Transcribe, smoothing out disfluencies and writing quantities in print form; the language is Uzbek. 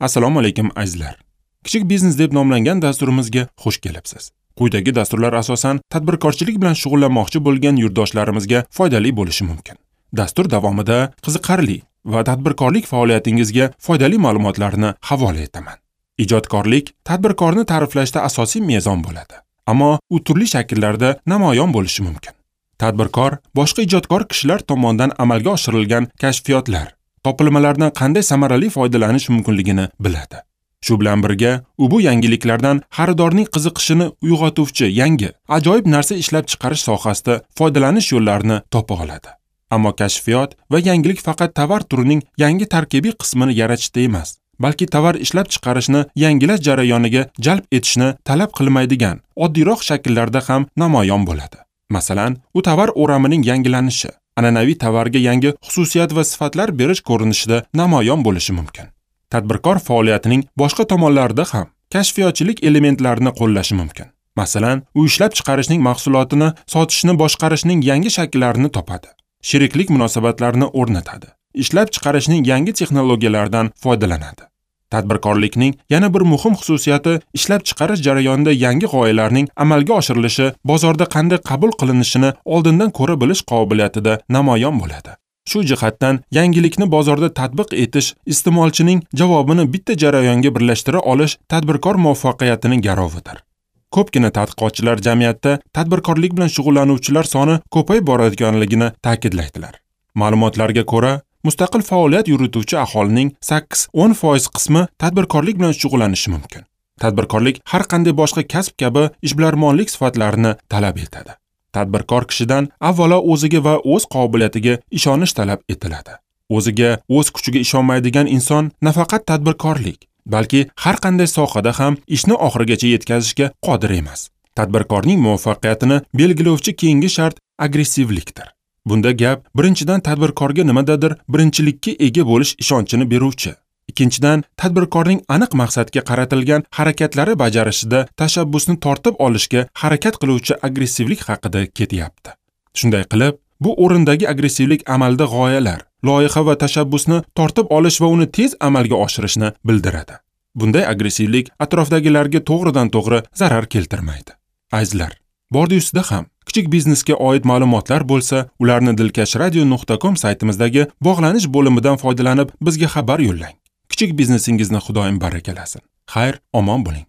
Assalomu alaykum azizlar. Kichik biznes deb nomlangan dasturimizga xush kelibsiz. Quyidagi dasturlar asosan tadbirkorchilik bilan shug'ullanmoqchi bo'lgan yurtdoshlarimizga foydali bo'lishi mumkin. Dastur davomida qiziqarli va tadbirkorlik faoliyatingizga foydali ma'lumotlarni havola etaman. Ijodkorlik tadbirkorni ta'riflashda asosiy mezon bo'ladi, ammo u turli shakllarda namoyon bo'lishi mumkin. Tadbirkor boshqa ijodkor kishilar tomonidan amalga oshirilgan kashfiyotlar, topilmalardan qanday samarali foydalanish mumkinligini biladi. Shu bilan birga, u bu yangiliklardan xaridorning qiziqishini uyg'otuvchi yangi, ajoyib narsa ishlab chiqarish sohasida foydalanish yo'llarini topa oladi. Ammo kashfiyot va yangilik faqat tovar turining yangi tarkibiy qismini yaratishda emas, balki tovar ishlab chiqarishni yangilash jarayoniga jalb etishni talab qilmaydigan oddiyroq shakllarda ham namoyon bo'ladi. Masalan, u tovar o'ramining yangilanishi, an'anaviy tovarga yangi xususiyat va sifatlar berish ko'rinishida namoyon bo'lishi mumkin. Tadbirkor faoliyatining boshqa tomonlarida ham kashfiyotchilik elementlarini qo'llashi mumkin. Masalan, u ishlab chiqarishning mahsulotini sotishni boshqarishning yangi shaklarini topadi, sheriklik munosabatlarini o'rnatadi, ishlab chiqarishning yangi texnologiyalaridan foydalanadi. Tadbirkorlikning yana bir muhim xususiyati ishlab chiqarish jarayonida yangi g'oyalarning amalga oshirilishi bozorda qanday qabul qilinishini oldindan ko'ra bilish qobiliyatida namoyon bo'ladi. Shu jihatdan yangilikni bozorda tatbiq etish, iste'molchining javobini bitta jarayonga birlashtira olish tadbirkor muvaffaqiyatining garovidir. Ko'pgina tadqiqotchilar jamiyatda tadbirkorlik bilan shug'ullanuvchilar soni ko'payib borayotganligini ta'kidlaydilar. Ma'lumotlarga ko'ra, mustaqil faoliyat yurituvchi aholining 8-10% qismi tadbirkorlik bilan shug'ullanishi mumkin. Tadbirkorlik har qanday boshqa kasb kabi ishbilarmonlik sifatlarini talab etadi. Tadbirkor kishidan avvalo o'ziga va o'z qobiliyatiga ishonish talab etiladi. O'ziga, o'z kuchiga ishonmaydigan inson nafaqat tadbirkorlik, balki har qanday sohada ham ishni oxirigacha yetkazishga qodir emas. Tadbirkorning muvaffaqiyatini belgilovchi keyingi shart agressivlikdir. Bunda gap birinchidan tadbirkorga nimadadir birinchilikka ega bo'lish ishonchini beruvchi, ikkinchidan tadbirkorning aniq maqsadga qaratilgan harakatlari bajarishida tashabbusni tortib olishga harakat qiluvchi agressivlik haqida ketyapti. Shunday qilib, bu o'rindagi agressivlik amalda g'oyalar, loyiha va tashabbusni tortib olish va uni tez amalga oshirishni bildiradi. Bunday agressivlik atrofdagilarga to'g'ridan-to'g'ri zarar keltirmaydi. Azizlar, bordi ustida ham kichik biznesga oid ma'lumotlar bo'lsa, ularni dilkashradio.com saytimizdagi bog'lanish bo'limidan foydalanib bizga xabar yo'llang. Kichik biznesingizni Xudoyim barakalasin. Xayr, omon bo'ling.